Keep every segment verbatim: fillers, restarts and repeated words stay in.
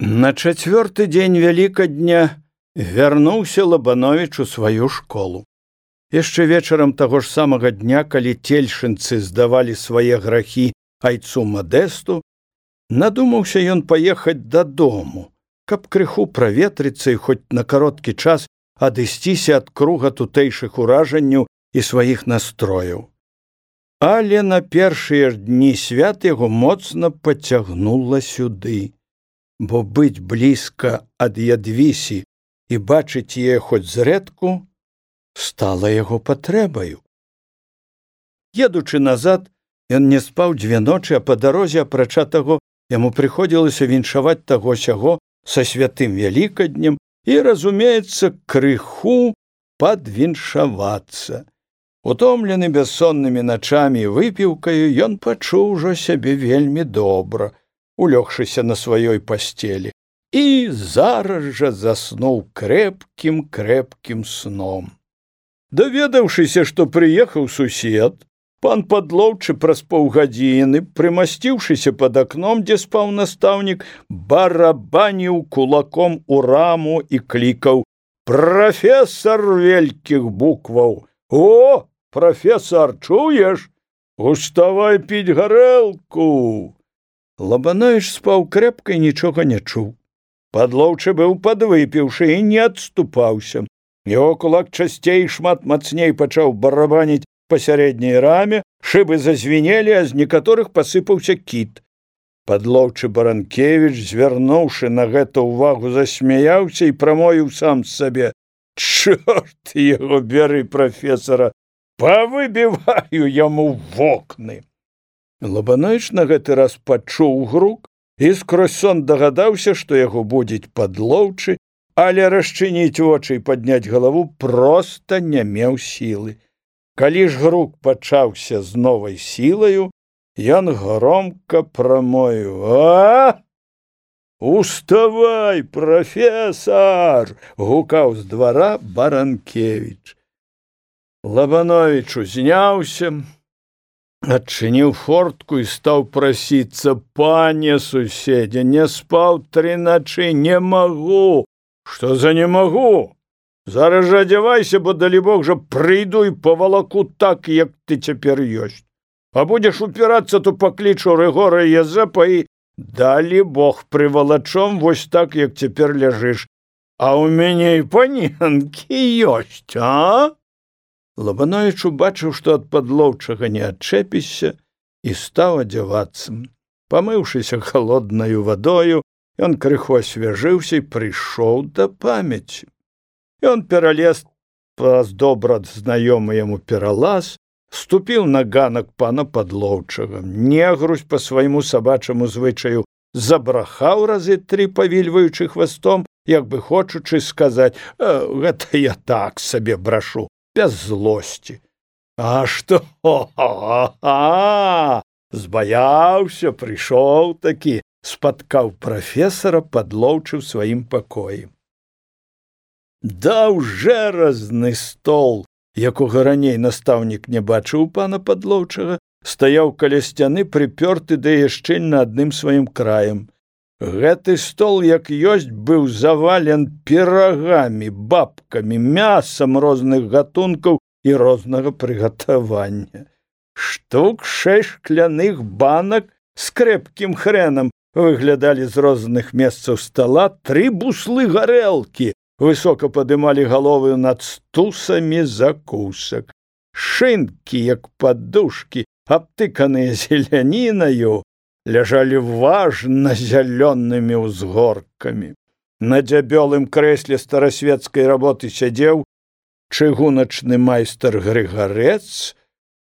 На чацвёрты дзень Вялікадня вярнуўся Лабановіч у сваю школу. Яшчэ вечарам таго ж самага дня, калі цельшынцы здавалі свае грахі айцу Мадэсту, надумаўся ён паехаць дадому, каб крыху праветрыцца і хоць на кароткі час адысціся ад круга тутэйшых уражанняў і сваіх настрояў. Але на першыя ж дні свят яго моцна пацягнула сюды, бо быць блізка ад Ядвісі і бачыць яе хоць зрэдку стала яго патрэбаю. Едучы назад, ён не спаў дзве ночы, а па дарозе, апрача таго, яму прыходзілася віншаваць таго-сяго са святым Вялікаднем і, разумеецца, крыху падвіншавацца. Утомлены бяссоннымі начамі і выпіўкаю, ён пачуў ужо сябе вельмі добра, улёгшыся на сваёй пасцелі, і зараз жа заснуў крэпкім-крэпкім сном. Даведаўшыся, што прыехаў сусед, пан Падлоўчы праз паўгадзіны, прымасціўшыся пад акном, дзе спаў настаўнік, барабаніў кулаком у раму і клікаў: «Прафесар вялікіх букваў! О, прафесар, чуеш? Уставай піць гарэлку!» Лабановіч спаў крэпка і нічога не чуў. Падлоўчы быў падвыпіўшы і не адступаўся. Яго кулак часцей шмат мацней пачаў барабаніць па сярэдняй раме, шыбы зазвінелі, а з некаторых пасыпаўся кіт. Падлоўчы Баранкевіч, звярнуўшы на гэта ўвагу, засмяяўся і прамовіў сам сабе: «Чорт яго бяры, прафесара, павыбіваю яму вокны!» Лабановіч на гэты раз пачуў грук і скрозь сон дагадаўся, што яго будзіць Падлоўчы, але расчыніць вочы і падняць галаву проста не меў сілы. Калі ж грук пачаўся з новай сілаю, ён громка прамовіў: «А! Уставай, прафесар!» — гукаў з двара Баранкевіч. Лабановіч узняўся, адчыніў фортку і стаў прасіцца: «Пане суседзе, не спаў тры начы, не магу!» «Што за не магу? Зараз жа адзявайся, бо, далібог жа, прыйду і павалаку так, як ты цяпер ёсць. А будзеш упірацца, то паклічу Рыгора Язэпа і, далібог, прывалачом вось так, як цяпер ляжыш. А ў мяне і паненкі ёсць, а?» Лабановіч убачыў, што ад Падлоўчага не адчэпішся, і стаў адзявацца. Памыўшыся халоднаю вадою, ён крыху асвяжыўся і прыйшоў да памяці. Ён пералез праз добра знаёмы яму пералаз, ступіў на ганак пана Падлоўчага. Негрусь па свайму сабачаму звычаю забрахаў разы тры, павільваючы хвастом, як бы хочучы сказаць: «Гэта я так сабе брашу, без злосці». «А што? А-а-а! Збаяўся, прыйшоў такі», — спаткаў прафесара Падлоўчы ў сваім пакоі. Даўжэразны стол, якога раней настаўнік не бачыў пана Падлоўчага, стаяў каля сцяны, прыпёрты да яе шчыльна адным сваім краем. Гэты стол, як ёсць, быў завален пірагамі, бабкамі, мясам розных гатункаў і рознага прыгатавання. Штук шэсць шкляных банак з крэпкім хрэнам выглядалі з розных месцаў стала, тры буслы гарэлкі высока падымалі галовы над стусамі закусак. Шынкі, як падушкі, абтыканыя зелянінаю, ляжалі важна зялёнымі ўзгоркамі. На дзябёлым крэсле старасвецкай работы сядзеў чыгуначны майстар Грыгарэц,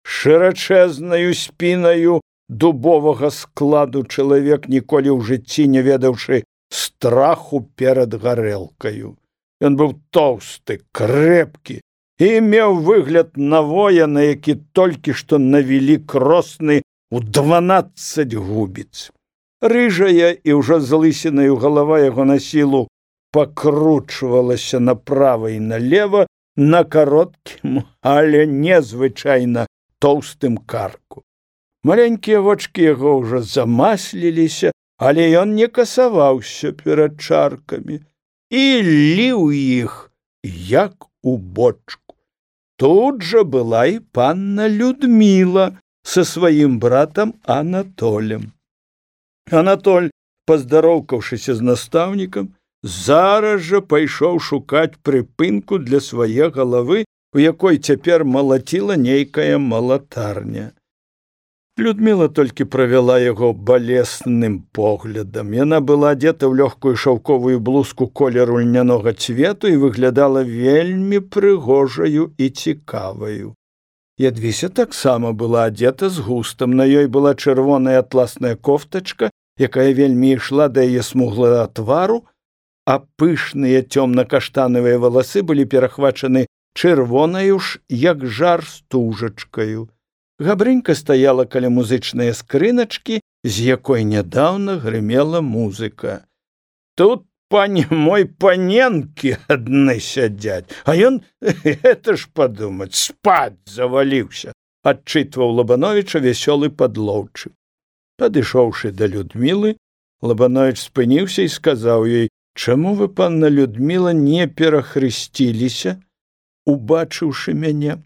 шырачэзнаю спінаю дубовага складу чалавек, ніколі ў жыцці не ведаўшы страху перад гарэлкаю. Ён быў тоўсты, крэпкі і меў выгляд навоя, на які толькі што навілі кросны у дванаццаць губіц. Рыжая і ўжо залысінаю галава яго на сілу пакручвалася направа і налева на кароткім, але незвычайна тоўстым карку. Маленькія вочкі яго ўжо замасліліся, але ён не касаваўся перад чаркамі і ліў іх, як у бочку. Тут жа была і панна Людміла са сваім братам Анатолем. Анатоль, паздароўкаўшыся з настаўнікам, зараз жа пайшоў шукаць прыпынку для свае галавы, у якой цяпер малаціла нейкая малатарня. Людміла толькі правяла яго балесным поглядам. Яна была адзета ў лёгкую шаўковую блузку колеру льнянога цвету і выглядала вельмі прыгожаю і цікаваю. Ядвіся таксама была адзета з густам. На ёй была чырвоная атласная кофтачка, якая вельмі ішла да яе смуглага твару, а пышныя цёмна-каштанавыя валасы былі перахвачаны чырвонаю ж, як жар, стужачкаю. Габрынька стаяла каля музычнай скрыначкі, з якой нядаўна грымела музыка. Тут, пане мой, паненкі адны сядзяць, а ён, гэта ж падумаць, спаць заваліўся, адчытваў Лабановіча вясёлы падлоўчы. Падышоўшы да Людмілы, Лабановіч спыніўся і сказаў ёй: «Чаму вы, панна Людміла, не перахрысціліся, убачыўшы мяне?»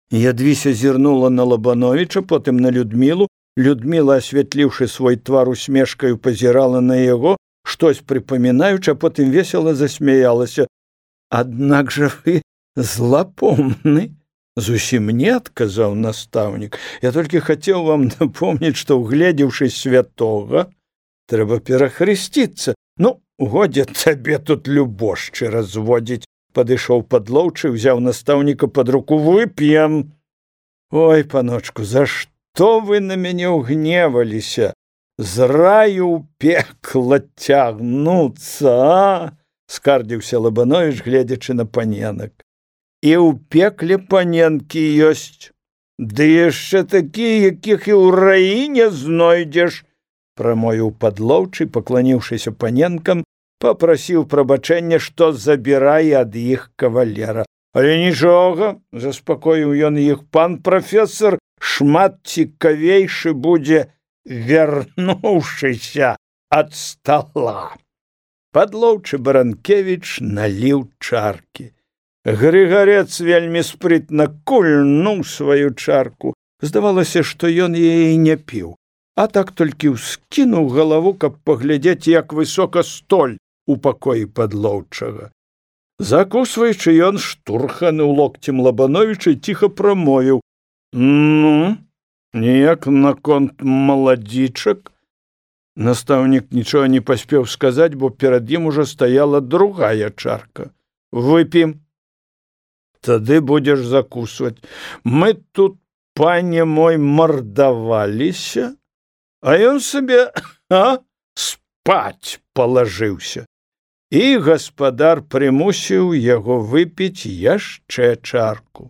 Ядвіся зірнула на Лабановіча, потым на Людмілу. Людміла, асвятліўшы свой твар усмешкаю, пазірала на яго, штось прыпамінаючы, а потым весела засмяялася. «Аднак жа вы злапомны!» «Зусім не», — адказаў настаўнік. «Я толькі хацеў вам напомніць, што, угледзеўшы святога, трэба перахрысціцца. Ну, годзе табе тут любошчы разводзіць», — падышоў падлоўчы, узяў настаўніка пад руку. «Вып'ем». «Ой, паночку, за што вы на мяне ўгневаліся? З раю ў пекла цягнуцца, а?» — скардзіўся Лабановіч, гледзячы на паненак. «І ў пекле паненкі ёсць, ды яшчэ такія, якіх і ў раі не знойдзеш», — прамовіў падлоўчы, пакланіўшыся паненкам, папрасіў прабачэння, што забірае ад іх кавалера. «Але нічога», — заспакоіў ён іх, — «пан прафесор шмат цікавейшы будзе, вярнуўшыся ад стала». Падлоўчы Баранкевіч наліў чаркі. Грыгарец вельмі спрытна кульнуў сваю чарку. Здавалася, што ён яе не піў, а так толькі ўскінуў галаву, каб паглядзець, як высока столь у пакоі падлоўчага. Закусваючы, ён штурхануў локцем Лабановіча і ціха прамовіў: «Ну, ніяк наконт маладзічак?» Настаўнік нічога не паспеў сказаць, бо перад ім ужо стаяла другая чарка. «Вып'ем. Тады будзеш закусваць. Мы тут, пане мой, мардаваліся, а ён сабе, а, спаць палажыўся». І гаспадар прымусіў яго выпіць яшчэ чарку.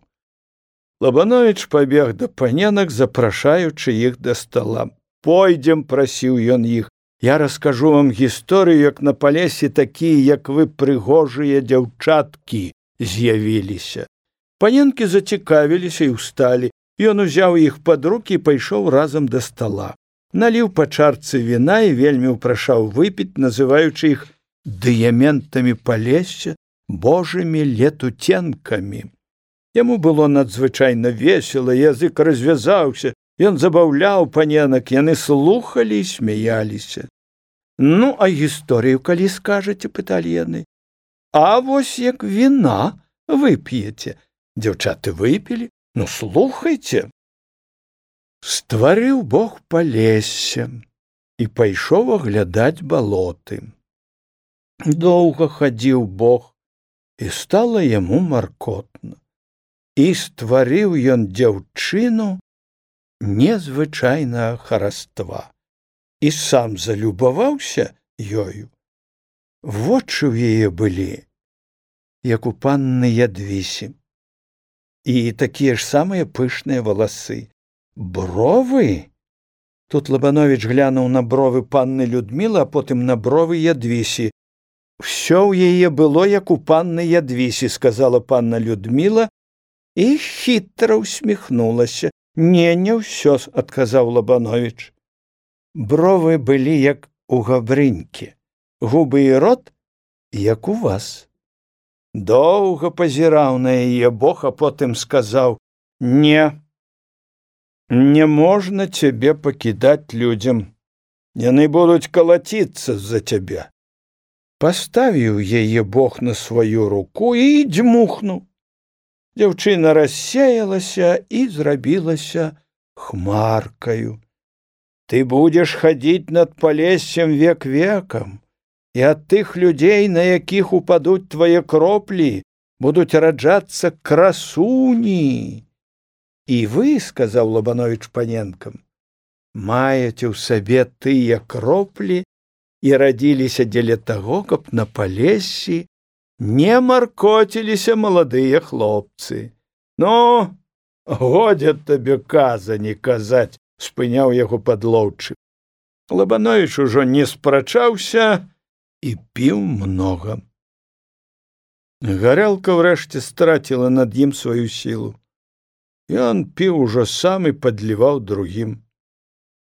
Лабановіч пабег да паненак, запрашаючы іх да стала. «Пойдзем», — прасіў ён іх, — «я раскажу вам гісторыю, як на палесе такія, як вы, прыгожыя дзяўчаткі з'явіліся». Паненкі зацікавіліся і ўсталі. Ён узяў іх пад рукі і пайшоў разам да стала. Наліў па чарцы віна і вельмі ўпрашаў выпіць, называючы іх дыяментамі палесся, божымі летуценкамі. Яму было надзвычайна весела, язык развязаўся, ён забаўляў паненак, яны слухалі і смяяліся. «Ну, а гісторыю калі скажаце?» — пыталі яны. «А вось як віна вып'еце». Дзяўчаты выпілі. «Ну, слухайце». Стварыў Бог палессе і пайшоў аглядаць балоты. Доўга хадзіў Бог, і стала яму маркотна. І стварыў ён дзяўчыну незвычайнага хараства і сам залюбаваўся ёю. Вочы ў яе былі, як у панны Ядвісі, і такія ж самыя пышныя валасы. Бровы? Тут Лабановіч глянуў на бровы панны Людмілы, а потым на бровы Ядвісі. «Всё ў яе было, як у панны Ядвісі», — сказала панна Людміла і хітра усміхнулася. «Не, не ўсё», — адказаў Лабановіч. Бровы былі як у габрынькі, губы і рот як у вас. Доўга пазіраў на яе Бог, а потым сказаў: «Не, не можна цябе пакідаць людзям. Яны будуць калаціцца за цябе». Паставіў яе Бог на сваю руку і дзьмухнуў. Дзяўчына рассеялася і зрабілася хмаркаю. «Ты будзеш хадзіць над палессем век векам, і ад тых людзей, на якіх упадуць твае кроплі, будуць раджацца красуні. І вы, — сказаў Лабановіч паненкам, — маеце ў сабе тыя кроплі і радзіліся дзеля таго, каб на палессі не маркоціліся маладыя хлопцы». «Ну, годзе табе казані казаць», — спыняў яго падлоўчык. Лабановіч ужо не спрачаўся і піў многа. Гарэлка ўрэшце страціла над ім сваю сілу. Ён піў ужо сам і падліваў другім.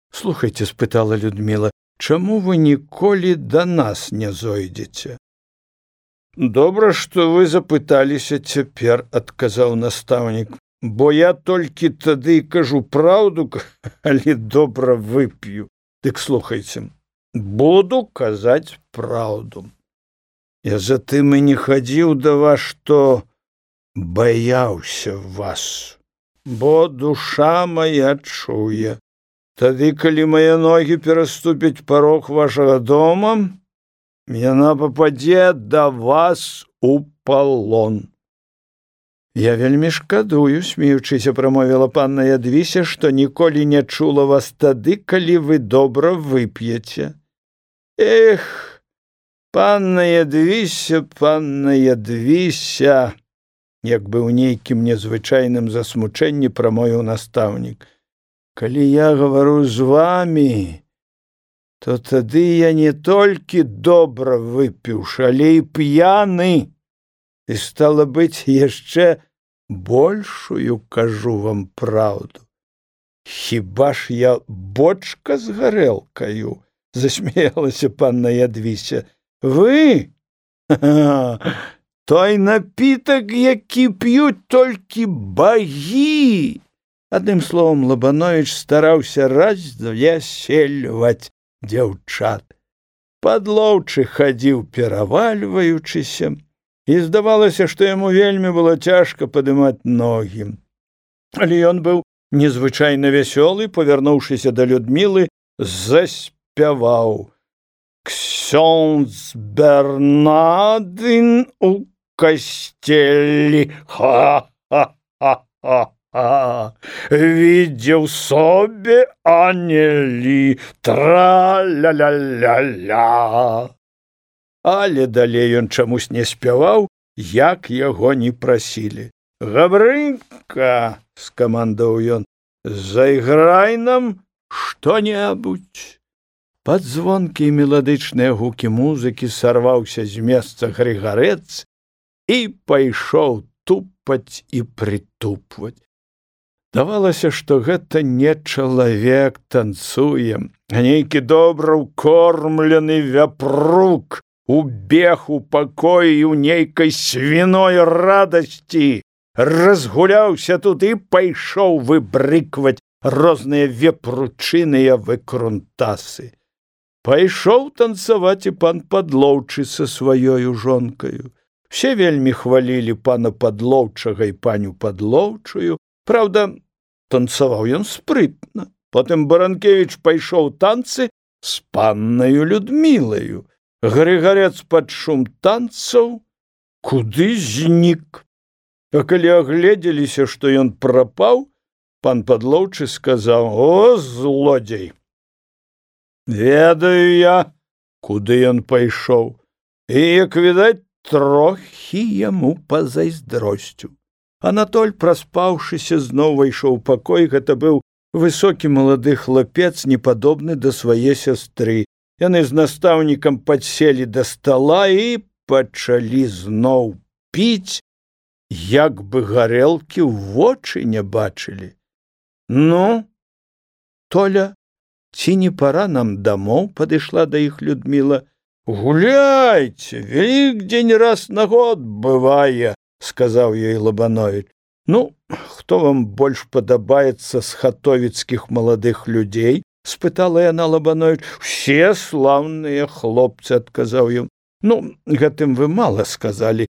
«Слухайце, — спытала Людміла, — чаму вы ніколі да нас не зойдзеце?» «Добра, што вы запыталіся цяпер, — адказаў настаўнік, — бо я толькі тады кажу праўду, калі добра вып'ю. Дык слухайце, буду казаць праўду. Я затым і не хадзіў да вас, што баяўся вас, бо душа моя чуе. Тады, калі мае ногі пераступяць парог вашага дома, яна пападзе да вас у палон». «Я вельмі шкадую, — смеючыся прамовіла панна Ядвіся, — што ніколі не чула вас тады, калі вы добра вып'еце». «Эх, панна Ядвіся, панна Ядвіся!» Як бы ў нейкім незвычайным засмучэнні прамовіў настаўнік. «Калі я гавару з вамі, то тады я не толькі добра выпіўшы, але і п'яны. І, стала быць, яшчэ большую кажу вам праўду. Хіба ж я бочка з гарэлкаю?» — засмеялася панна Ядвіся. «Вы? Той напітак, які п'ють толькі багі!» Адным словом, Лабановіч стараўся развесельваць дзяўчат. Падлоўчы хадзіў перавальваючыся, і здавалася, што яму вельмі было цяжка падымаць ногі. Але ён быў незвычайна вясёлы, павярнуўшыся да Людмілы, заспяваў: «Ксёндз Бернадын у касцелі, ха-ха-ха-ха! Видел собі анелі, тра-ля-ля-ля-ля». Але далей ён чамусь не спяваў, як яго не прасілі. «Габрынька, — скамандаў ён, — зайграй нам што-небудзь». Пад звонкія меладычныя гукі музыкі сарваўся з месца Грыгарэц і пайшоў тупаць і прытупваць. Давалася, што гэта не чалавек танцуе, а нейкі добра ўкормлены вяпрук убег у пакоі ў нейкай свіной радасці, разгуляўся тут і пайшоў выбрыкваць розныя вепручыныя выкрунтасы. Пайшоў танцаваць і пан Падлоўчы са сваёю жонкаю. Все вельмі хвалілі пана Падлоўчага і паню Падлоўчую. Праўда, танцаваў ён спрытна. Потым Баранкевіч пайшоў танцы з паннаю Людмілаю. Грыгарэц пад шум танцаў куды знік. А калі агледзеліся, што ён прапаў, пан Падлоўчы сказаў: «О, злодзей! Ведаю я, куды ён пайшоў, і, як відаць, трохі яму пазайздросціў». Анатоль, праспаўшыся, зноў увайшоў у пакой. Гэта быў высокі малады хлапец, непадобны да свае сястры. Яны з настаўнікам падселі да стала і пачалі зноў піць, як бы гарэлкі ў вочы не бачылі. «Ну, Толя, ці не пора нам дамоў, падышла да іх Людміла. Гуляйце, Вялікдзень раз на год бывае, сказаў ёй Лабановіч. Ну, хто вам больш падабаецца з хатовіцкіх маладых людзей? Спытала яна Лабановіч. Усе слаўныя хлопцы, адказаў ён. Ну, гэтым вы мала сказалі.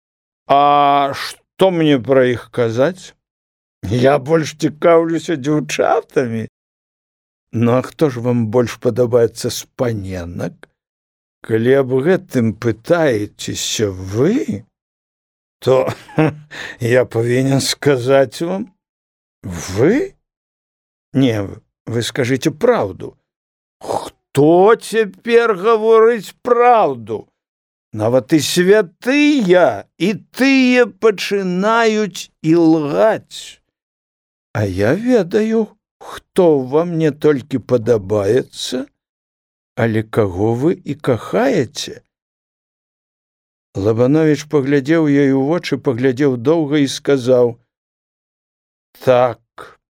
А што мне пра іх казаць? Я больш цікаўлюся дзяўчатамі. Ну, а хто ж вам больш падабаецца з паненак? Калі аб гэтым пытаецеся вы, то я павінен сказаць вам. Вы? Не, вы скажыце праўду. Хто цяпер гаворыць праўду? Нават і святыя, і тыя пачынаюць ілгаць. А я ведаю, хто вам не толькі падабаецца, але каго вы і кахаеце? Лабановіч паглядзеў ёй у вочы, паглядзеў доўга і сказаў: так,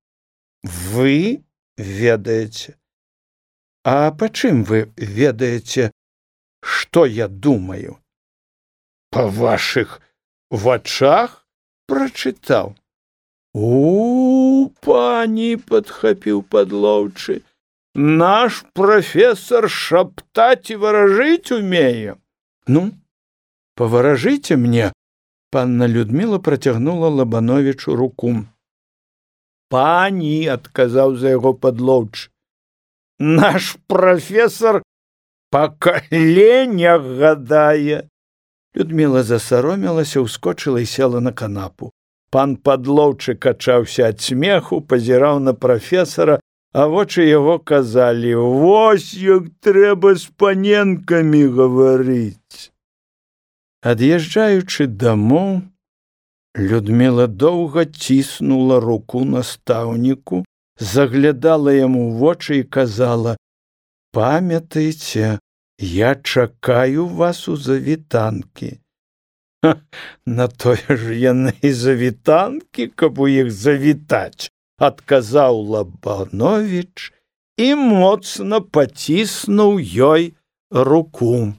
вы ведаеце. А па чым вы ведаеце, што я думаю? Па вашых вачах прачытаў. У, пані, падхапіў падлоўчы, наш прафесор шаптаць і варажыць умее. Ну, паваражыце мне. Панна Людміла працягнула Лабановічу руку. Пані, адказаў за яго падлоўчы, наш прафесор па каленях гадае. Людміла засаромілася, ускочыла і села на канапу. Пан падлоўчы качаўся ад смеху, пазіраў на прафесара, а вочы яго казалі: вось як трэба з паненкамі гаварыць. Ад'язджаючы дамоў, Людміла доўга ціснула руку настаўніку, заглядала яму ў вочы і казала: памятайце, я чакаю вас у завітанкі. Ха, на тое ж яны і завітанкі, каб у іх завітаць, адказаў Лабановіч і моцна паціснуў ёй руку.